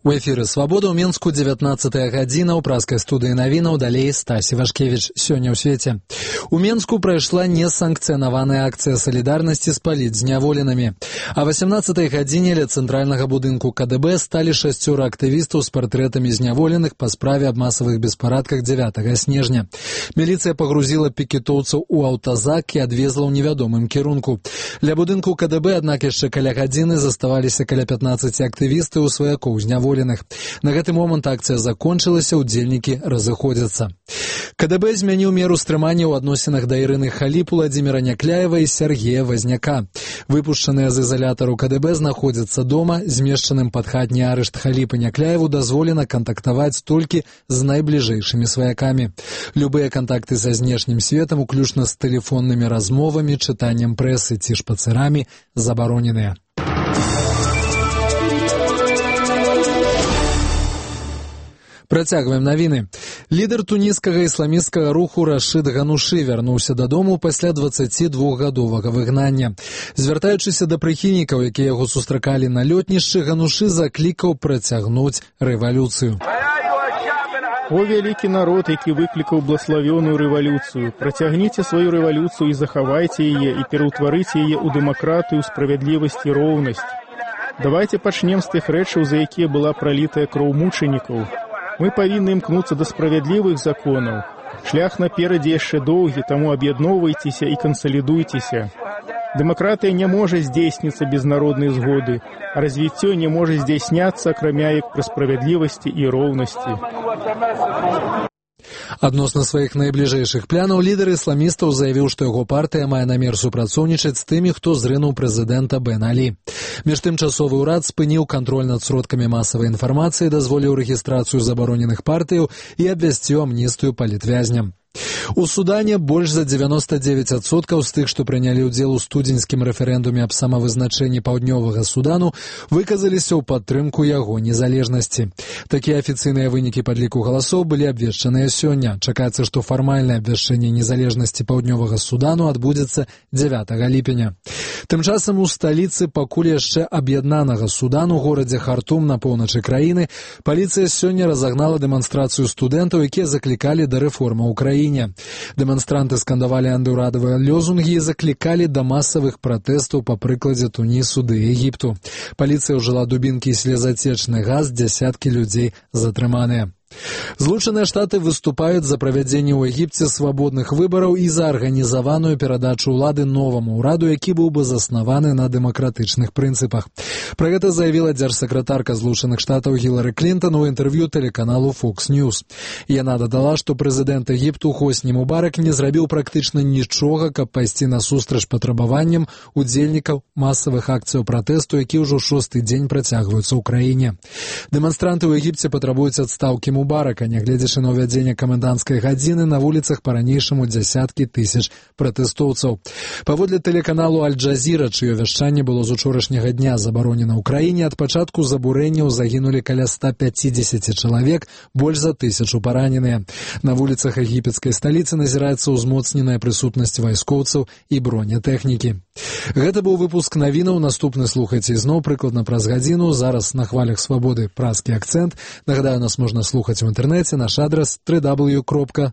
У эфіры «Свабода» ў Мінску 19-я гадзіна ў праскай студыі навінаў, далей Стасі Вашкевіч. Сёння ў свеце. У Мінску прайшла несанкцыянаваная акцыя салідарнасці з палітзняволенымі. А 18-й гадзіне ля цэнтральнага будынку КДБ сталі 6 актывістаў з партрэтамі зняволеных па справе аб масавых беспарадках 9 снежня. Міліцыя пагрузіла пікетоўцаў у аўтазак і адвезла ў невядомым кірунку. Ля будынку КДБ, аднак, яшчэ каля гадзіны заставаліся каля 15 актывістаў у сваякоў зняволеных. На гэты момант акцыя закончылася, удзельнікі разыходзяцца. КДБ змяніў меру стрымання ў адносінах да Ірыны Халіп, Уладзіміра Някляева і Сергея Вазняка. Выпушчаныя з ізалятару КДБ знаходзяцца дома, змешчаным пад хатні арышт Халіп і Някляеву дазволена кантактаваць толькі з найбліжэйшымі сваякамі. Любыя кантакты са знешнім светам, уключна з тэлефоннымі размовамі, чытаннем прэсы ці шпацырамі, забароненыя. Працягваем навіны. Лідар туніскага ісламісцкага руху Рашид Ганушы вярнуўся дадому пасля 22-гадовага выгнання. Звяртаючыся да прыхільнікаў, якія яго сустракалі на лётнішчы, Ганушы заклікаў працягнуць рэвалюцыю. О вялікі народ, які выклікаў блаславёную рэвалюцыю, працягніце сваю рэвалюцыю і захавайце яе, і пераўтварыце яе ў дэмакратыю, справядлівасць і роўнасць. Давайце пачнем з тых рэчаў, за якія была пралітая кроў мучанікаў. Мы павінны імкнуцца да справядлівых законаў. Шлях наперадзе яшчэ доўгі, таму аб'ядноўвайцеся і кансалідуйцеся. Дэмакратыя не можа здзейсніцца без народнай згоды, а развіццё не можа здзяйсняцца, акрамя як пры справядлівасці і роўнасці. Адносна сваіх найбліжэйшых планаў лідар ісламістаў заявіў, што яго партыя мае намер супрацоўнічаць з тымі, хто зрынуў прэзідэнта Бен Алі. Між тым часовы ўрад спыніў кантроль над сродкамі масавай інфармацыі, дазволіў рэгістрацыю забароненых партыяў і абвясціў амністыю палітвязням. У Судане больш за 99% з тых, што прынялі ўдзел у студзеньскім рэферэндуме аб самавызначэнні паўднёвага Судану, выказаліся ў падтрымку яго незалежнасці. Такія афіцыйныя вынікі падліку галасоў былі абвешчаныя сёння. Чакаецца, што фармальнае абвяшчэнне незалежнасці паўднёвага Судану адбудзецца 9 ліпеня. Тым часам у сталіцы пакуль яшчэ аб'яднанага Судану, горадзе Хартум на поўначы краіны, паліцыя сёння разагнала дэманстрацыю студэнтаў, якія заклікалі да рэформы ў краіне. Дэманстранты скандавалі антыўрадавыя лозунгі і заклікалі да масавых пратэстаў па прыкладзе Тунісу ды Егіпту. Паліцыя ўжыла дубінкі і слезацечны газ, дзясяткі людзей затрыманыя. Злучаныя Штаты выступаюць за правядзенне ў Егіпце свабодных выбараў і за арганізаваную перадачу ўлады новаму ўраду, які быў бы заснаваны на дэмакратычных прынцыпах. Пра гэта заявіла дзяржсакратарка Злучаных Штатаў Гілары Клінтон у інтэрв'ю тэлеканалу Fox News. Яна дадала, што прэзідэнт Егіпту Хосні Мубарак не зрабіў практычна нічога, каб пайсці насустрач патрабаванням удзельнікаў масавых акцыяў пратэсту, які ўжо 6-й дзень працягваюцца ў краіне. Дэманстранты ў Егіпце патрабуюць адстаўкі Мубарака, нягледзячы на ўвядзенне каменданцкай гадзіны, на вуліцах па-ранейшаму дзясяткі тысяч пратэстоўцаў. Паводле тэлеканалу Аль-Джазіра, чыё вяшчанне было з учорашняга дня забаронена ў краіне, ад пачатку забурэнняў загінулі каля 150 чалавек, больш за 1000 параненыя. На вуліцах егіпецкай сталіцы назіраецца ўзмоцненая прысутнасць вайскоўцаў і бронетэхнікі. Гэта быў выпуск навінаў, наступны слухайце ізноў прыкладна праз гадзіну, зараз на хвалях свабоды празкі акцэнт. Нагадаю, нас можна слухаць у інтэрнэце, наш адрас www.swobodna.org.